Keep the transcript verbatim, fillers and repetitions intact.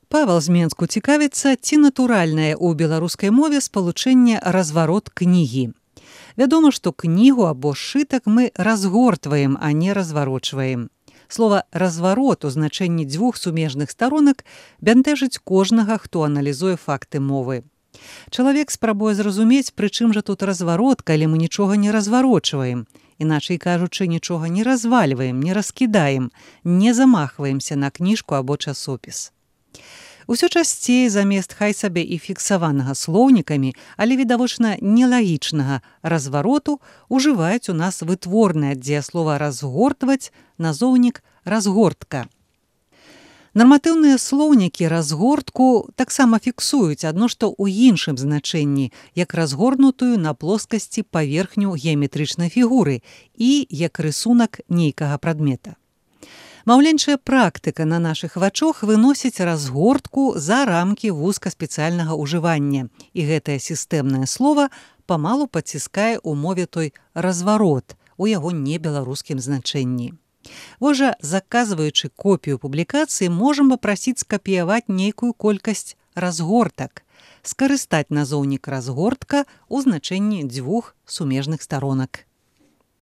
Павел з Менску цікавіцца, ці натуральнае ў беларускай мове спалучэнне разварот кнігі. Вядома, што кнігу або сшытак мы разгортваем, а не разварочваем. Слова «разварот» у значэнні дзвюх сумежных старонак бянтэжыць кожнага, хто аналізуе факты мовы. Чалавек спрабуе зразумець, пры чым жа тут разварот, калі мы нічога не разварочваем. Іначай кажучы, нічога не развальваем, не раскідаем, не замахваемся на кніжку або часопіс. Усё часцей замест хай сабе і фіксаванага слоўнікамі, але відавочна нелагічнага развароту ужываюць у нас вытворнае ад дзеяслова «разгортваць» назоўнік «разгортка». Нарматыўныя слоўнікі разгортку таксама фіксуюць, адно што ў іншым значэнні, як разгорнутую на плоскасці паверхню геаметрычнай фігуры і як рысунак нейкага прадмета. Маўленчая практыка на нашых вачах выносіць разгортку за рамкі вузкаспецыяльнага ўжывання, і гэтае сістэмнае слова памалу падціскае ў мове той разварот у яго небеларускім значэнні. Вось жа, заказваючы копію публікацыі, можам папрасіць скапіяваць нейкую колькасць разгортак, скарыстаць назоўнік разгортка ў значэнні дзвюх сумежных старонак.